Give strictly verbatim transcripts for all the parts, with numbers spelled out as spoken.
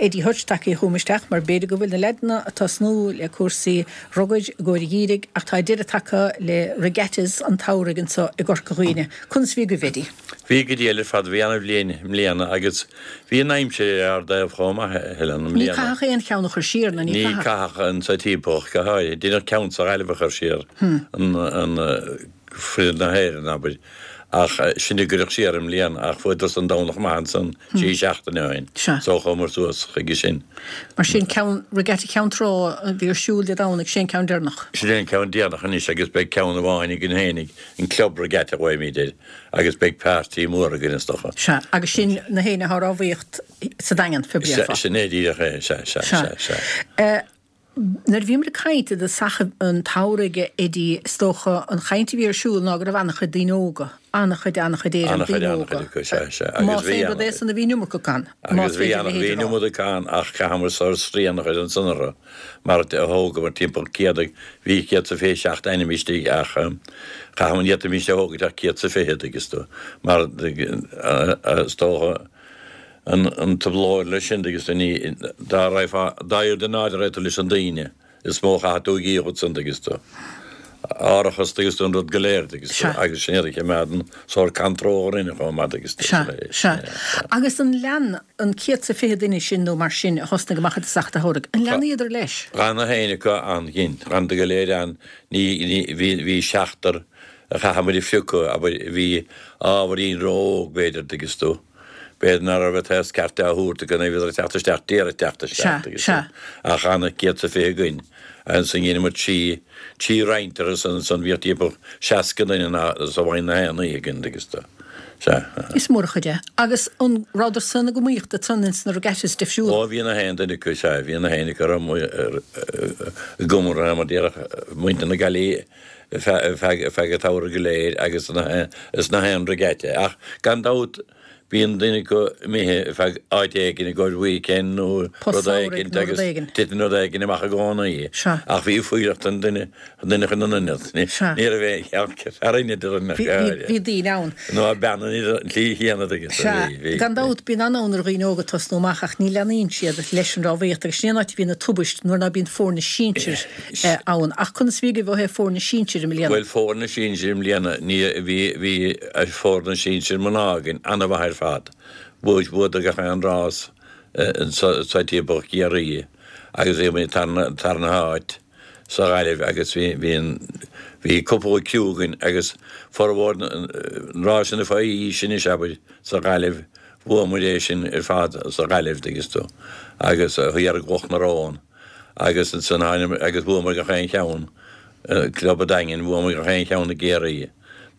Eddie Hutch tagtha chugam isteach mar b'fhéidir go bhfuil na leaideanna ag tosnú le cúrsaí rugair i gcomhair an gheimhridh ach tá deireadh tagtha le regattas an tsamhraidh anseo i gCorca Dhuibhne. Conas a bhí agaibh, Eddie? Bhí go diail ar fad, bhí ana-bhliain i mbliana agus bhí an aimsir ar ár dtaobh chomh maith, a Helen, i Ní mbliana. caitheadh aon cheann a chur siar, nó ní Ní caitheadh? caitheadh anso timpeall ach go háirithe. Deineadh ceann sa Ghaillimh a chur siar, an, an, Foireann na hÉireann, abair, ach sin a cuireadh siar i mbliana, ach fuaireadar san Domhnach maith ansan trí seachtaine ó shin, so chuamar suas chuige sin. Mar sin, ceann, Regatta Cheann Trá a bhí ar siúl Dé Domhnaigh, sin é an ceann deireanach. Sin é an ceann deireanach anois agus beidh ceann amháin againn fhéinig, an Club Regatta a ghlaoimid air, agus beidh páirtí mór againn is dócha. Sea, agus sin na héinne atá ag rámhaíocht sa Daingean, fé Sea, bhréafá. sin é díreach é, sea, sea, Sea. sea, sea. Nuair a bhíomar ag caint i dtosach an tsamhraidh, a Eddie, is dócha an chaint a bhí ar siúl ná go raibh an-chuid daoine óga, an-chuid, an-chuid Éireann, An-chuid, daoine an-chuid óga. acu, sea, sea. Agus Más bhí aon rud é an-chuid. san a bhí an iomarca acu ann, más Agus bhí féidir a an, leithéid bhí a an rá. iomarca ann ach chaitheamar sórt srian a chur ansan orthu mar thógamar timpeall céad, bhí céad 's a fiche seacht ainm istigh ach chaitheamar, ní fhéadfaimis a thógaint ach céad 's a fiche, dtuigeann tú, mar is dócha, An trioblóid leis sin agus ní dá raghfá, dá oiread in airde a raibh tú leis an daoine, is mó a chaithfidh tú a dhíol ansan agus tú. Árachas agus tú an rud go léir agus tú, Sea. agus sin iad a choimeádann sórt control orainne chomh maith agus tú. Sea, sea. Agus an lean an céad 's a fiche duine sin nó mar sin a thosnaigh amach i dtosach an tsamhraidh, an leanaíodar leis? D'fhan na haon acu ann, ghin, d'fhanadar go léir ann, ní, ní, bhí, bhí seachtar a chaitheamar a phiocadh, abair, bhí ábhairín ró-óg b'fhéidir, dtuigeanns tú. B'fhéidir ná raibh an t-aos ceart á thabhairt acu nuair a bhíodar ag teacht isteach d'iarraidh teacht isteach Sea, agus sea. ach d'fhan céad 's a fiche againn. Ansan dheineamar trí, trí roinnt orthu san, ansan bhíodh timpeall seasca duine ná sa bhfaighinn na haon oíche againn agus do, sea. Is mór an chuid é. Agus an rabhadar san ag iomaíocht ansan ins na regattas difriúla? Ó bhí na haon duine acu, sea, bhí na haon acu ar i gcomhar mar déarfadh muintir na Gaillimhe feadh, feadh an tsamhraidh go léir agus na, is na haon regatta. Ach gan dabht Bíonn duine acu imithe ar feadh áit éigin i gcomhair weekend nó Post rud samhraidh éigin nó rud agus éigin. titeann rud éigin amach i gcónaí. Sea. Ach bhí fuireacht an duine, an duine chun an ionad. Ní, Sea. ní raibh aon cheann fear ionaid ar an Bhí, bhí, bhí daoine ann. Nó bean an tslí chéanna agus Sea. bhí, bhí, Gan bhí. dabht, bíonn an-fhonn ar dhaoine óga tosnú amach ach ní leanaíonn siad leis an rámhaíocht agus sin é an áit a bhíonn na tubaist nuair ná bíonn foirne sinsir ann. Ach conas a bhí agaibh ó thaobh foirne sinsir i mbliana? Bhuel, foirne sinsir i mbliana, ní, bhí, bhí foirne sinsir mná againn an-mhaith ar fad. Bhuaigh, bhuadar gach aon rás sa timpeall Chiarraí agus bhí muid tarna, tarna háit sa Ghaillimh agus bhí, bhí an, bhí cúpla criú againn agus formhór na rásanna fá aois anois, abair, sa Ghaillimh, bhuaigh muid é sin ar fad sa Ghaillimh, dtuigeanns tú, agus thiar i gCloch na Rón agus ansan tháinig, agus bhuamar gach aon cheann, Club an Daingin, bhuamar gach aon cheann i gCiarraí.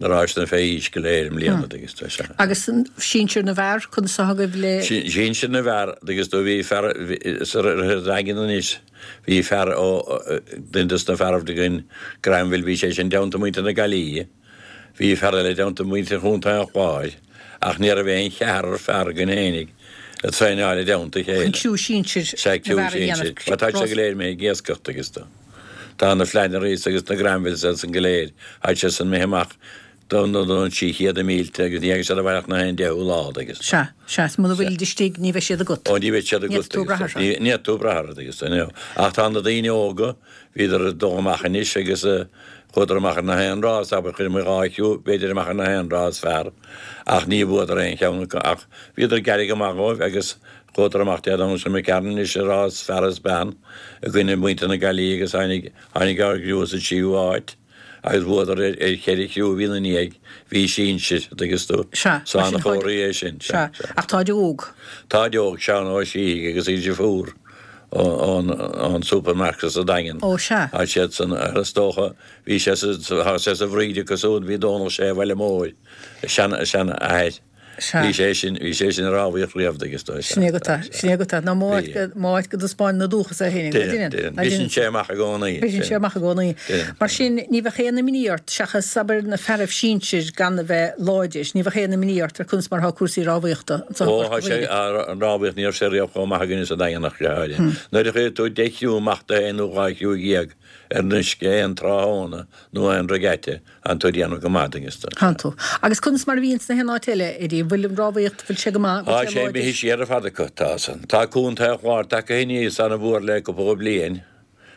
Na rásanna fé aois go léir i mbliana, dtuigeanns tú, sea. Agus sinsir na bhfear, conas atá agaibh le. Sinsir na bhfear, dtuigeanns tú, bhí fear, sa Daingean anois, bhí fear ó, duine dos na fearaibh againn, Granville, bhí sé sin i dteannta muintir na Gaillimhe, bhí fear eile i dteannta muintir Chontae an Chláir, ach ní raibh aon cheathrar fear againn fhéinig ag traenáil i dteannta a Chun chéile. criú sinsir Sea, na criú bhfear a sinsir. dhéanamh. Mar tá siad go léir imithe ag iascaireacht, dtuigeanns tú. Tá na Flannerys agus na Granvilles ansan go léir, tá siad san imithe amach don don trí chéad de mílte agus ní thagann siad abhaile ach na haon deichiú lá agus. Sea, sea, is muna bhfuilid istigh ní bheidh siad agat. Ó ní bheidh siad Ní agat fhéadfaidh tú brath agus orthu. ní fhéadfaidh tú brath orthu agus you know. Ach tá na daoine óga, bhíodar ag dul amach anois agus chuadar amach ar na haon rás, abair chuir muid dhá chriú b'fhéidir amach ar na haon rás fear ach ní bhuadar aon cheann acu ach bhíodar ag éirí go maith dhóibh agus Chuadar amach Dé Domhnaigh seo imigh tharainn anois i rás fear is bean i gcoinne muintir na Gaillimhe agus tháinig tháinig ár gcriú sa tríú háit agus bhuadar ar ar cheithre chriú a bhí ina ndiaidh, bhí sinsir, dtuigeanns tú. Sea, So mar sin táid an-chomhartha é sin, sea, sea, sea. ach táid óg. Táid óg, Seán Ó Síthigh agus Íde Fuar ón ón supermarket sa Daingean. Ó, sea. Tá siad san, is dócha, bhí sé sa, tá sé sa bhfríd acu siúd, bhí Dónal Sé Bhaile Móir, a sean, a seanathair. Sea. Bhí sé sin, bhí sé sin ag rámhaíocht riamh dtuigeanns tú. Sin é agat é, sin é agat é. Ná má Bhí. áit, má áit go dtaispeáineann a dúchas é féin, ná Déanann, déanann, déanann. ná Briseann déanann. sé amach i gcónaí. Briseann sé amach i gcónaí. Déanann. Mar sin, ní bheadh aon imní ort, seachas, abair, na fearaibh sinsir gan a bheith láidir, ní bheadh aon imní ort ar conas mar atá cúrsaí rámhaíochta anso i Ó, gCorca tá sé, Dhuibhne. an rámhaíocht, ní raibh sé riamh chomh maith againne sa Daingean ach go háirithe. Nuair a chuireann tú deich gcriú amach de haon nó dhá chriú dhéag ar an uisce aon tráthnóna nó aon regatta, Tánn tú ag déanamh go maith, dtuigeanns tú. Tánn tú. Agus conas mar a bhíonn sna haon áit eile, Eddie? bhfuil an rámhaíocht, bhfuil sé go maith, Tá bhfuil sé sé láidir? imithe siar ar fad acu, tá san. Tá Contae an Chláir tagtha aníos ana-mhór le cúpla bliain.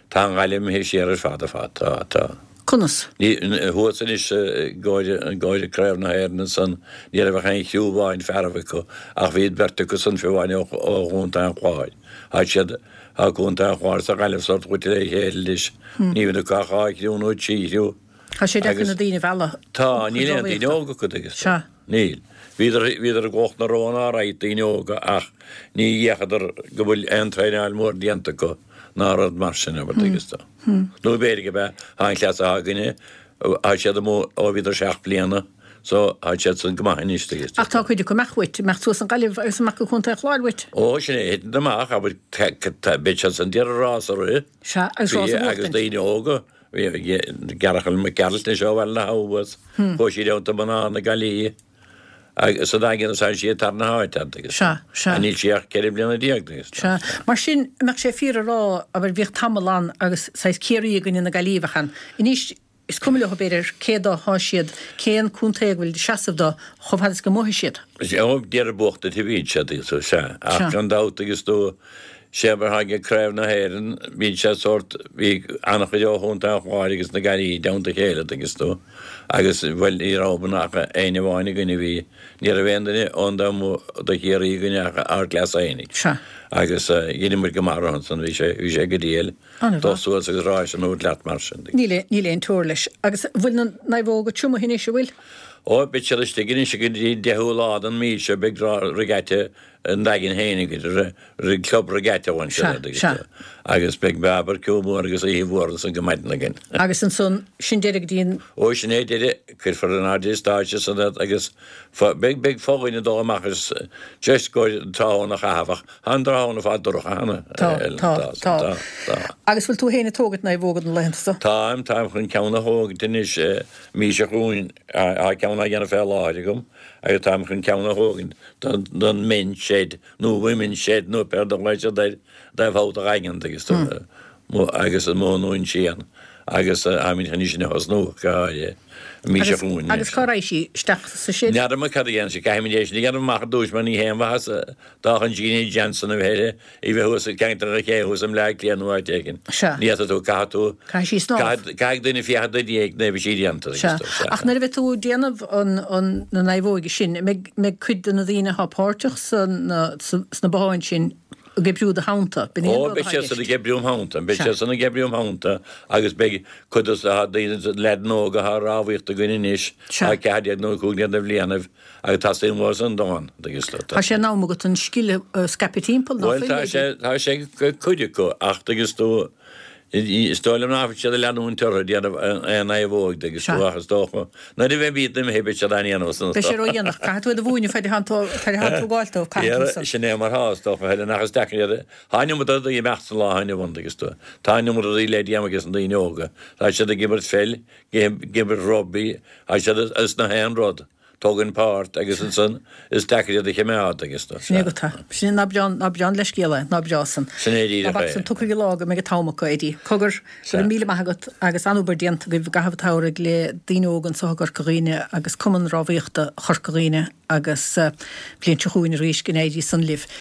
Tá an Ghaillimh imithe siar ar fad ar fad, tá, tá. Conas? Ní, thuas anois i gcomhair, i gcomhair Craobh na hÉireann ansan, ní raibh ach aon chriú amháin fearaibh acu, ach bhí beirt acu san fiú amháin ó, ó Chontae an Chláir. Tá siad, tá Contae an Chláir is an Ghaillimh sórt goite le chéile anois. Ní bhíonn acu ach dhá chriú nó trí chriú. Tá sé deacair Agus na daoine a mhealladh tá, chun níl aon daoine rámhaíochta. óga acu agus Sea. níl. Bhíodar, bhíodar i gCloch na Rón alright, daoine óga, ach ní fhéachadar go bhfuil aon traenáil mhór déanta acu ná rud mar sin, abair, agus tá. Nó b'fhéidir go b'ea, tá an cleas atá againne, tá siad amuigh ó bhíodar seacht bliana, so tá siad san go maith anois, agus Ach tá cuid acu amach uait, imeacht suas an Ghaillimh agus amach go Contae an Chláir uait. Ó, sin é, thiteann amach, abair, beidh siad san d'iarraidh rás a rith. Sea, agus rás a Bhí, agus bhuachtaint. daoine óga. Bhí Gearachal Mac Gearailt anseo ó Bhaile na hAbha thuas. Chuaigh sí down to mná na Gaillimhe agus sa Daingean is tá sí tar na háite agus Sea, sea. níl sí ach ceithre bliana déag agus Sea. Mar sin, an mbeadh sé fíor a rá, abair, bhíodh tamall ann agus saghas Ciarraí i gcoinne na Gaillimhe a bheadh ann. Anois, is cuma leo b'fhéidir cé dó thá siad, cén contae a bhfuil seasamh dó, chomh fada is go mbuafaidh siad. Sea, ó, d'iarraidh buachtaint a bhíonn siad agus sea. Ach Sea. gan dabht agus tú, Sé mar tháinig ag Craobh na hÉireann, bhí sé sórt, bhí an-chuid ó Chontae an Chláir agus na Gaillimhe i dteannta a chéile, tuigeann tú, agus, bhuel, ní raibh ach éinne amháin againn a bhí, ní raibh aon duine ón dtaobh amuigh do Chiarraí againn ach ár gcleas fhéinig. Sea. Agus dheineadh muid go maith orthu ansan, bhí sé, bhí sé go diail, An-mhaith. dul suas agus ráis a thabhairt leat mar sin. Níl, níl aon teora leis. Agus bhfuil na naomhóga tiomnaithe anois, an bhfuil? Ó, beidh siad istigh anois go dtí an deichiú lá den mhí seo, beidh regatta an Daingin féin agat, club regatta amháin Sea, seo sea. agus beidh barbecue mór agus oíche mhór ansan go maidin againn. Agus ansan, sin deireadh go dtí an. Ó, sin é deireadh, cuirfear in airde stáitse san iad agus beidh, beidh fo-dhuine dul amach as just go tráthnóna a chaitheamh ach tá an tráthnóna fad dorcha cheana, Tá, Ellen, tá, tá, tá. tá, tá. Agus bhfuil tú féin ag tógaint naomhóga na laethanta seo? Táim, táim chun ceann a thógaint anois, mí seo chugainn, tá ceann á dhéanamh fé láthair agam agus táim chun ceann a thógaint don, don men's shed nó women's shed nó pé rud a ghlaoigh siad air dtaobh thall de Dhaingean agus tú, agus an mó nó an síon agus táimid chun í sin a thosnú go háirithe an mí seo Agus, chugainn agus anois. cá raghaidh sí? Isteach sa shed? N'fheadar mé cad a dhéanfaidh sí, caithfimid é sin a dhéanamh amach ar dtús mar ní haon mhaitheas dá chun Jeannie Johnson a bheith uirthi, í bheith thuas i gceantar an ché thuas i mBleá Cliath nó áit éigin. Sea. Ní fhéadfaidh tú, caithfidh tú, Caithfidh sí snámh. caithfidh, caithfidh duine féachaint ina diaidh nuair a bheidh sí déanta agus Sea. tú, sea. Ach nuair a bheidh tú ag déanamh an, an, na naomhóige sin, an mbeidh, mbeidh cuid de na daoine atá páirteach san, sa, sna botháin sin ag oibriú do theannta? B'in é an Ó, rud beidh atá i siad san gceist. ag oibriú im theannta, beidh Sea. siad san ag oibriú im theannta agus beidh cuid dos na daoine, leaideanna óga atá ag rámhaíocht againn anois, Sea. tá ceathair déag nó cúig déag de bhlianaibh agus tá suim mhór san dán, tuigeann tú. Tá sé in am agat an scil a scaipeadh timpeall, ná Bhuel, fuil, tá sé, b'fhéidir? tá sé ag cuid acu ach tuigeann tú, is dóigh liom nach bhfuil siad ag leanúint orthu ag déanamh aon naomhóg, tuigeann tú, Sea. ach is dócha nuair a bheidh iad imithe beidh siad á ndéanamh san Beidh sé ródhéanach, caithfidh tú iad a mhúineadh fad atá tú ag tógáil dóibh, caithfidh tú san. Sin é mar thá, is dócha, Helen, ach is deacair iad a, tá an iomad rudaí ag imeacht sa lá inniu ann, tuigeann tú. Tá an iomad rudaí le déanamh ages na daoine óga. Tá siad ag imirt pheil, ag imirt rugbaí, tá siad as na haon rud. Tógann páirt agus ansan is deacair iad a choimeád agus tú. Sin é go tá. Sin é ná breá, ná breá an leithscéal é, ná breá san. Sin é díreach Ná bac é. san, tiocfaidh an lá go mbeidh an t-am acu, Eddie. Cogar, go raibh míle maith agat agus an-obair déanta agaibh i gcaitheamh an tsamhraidh le daoine óga anseo i gCorca Dhuibhne agus Cumann Rámhaíochta Chorca Dhuibhne agus bliain seo chugainn arís go n-éirí san libh.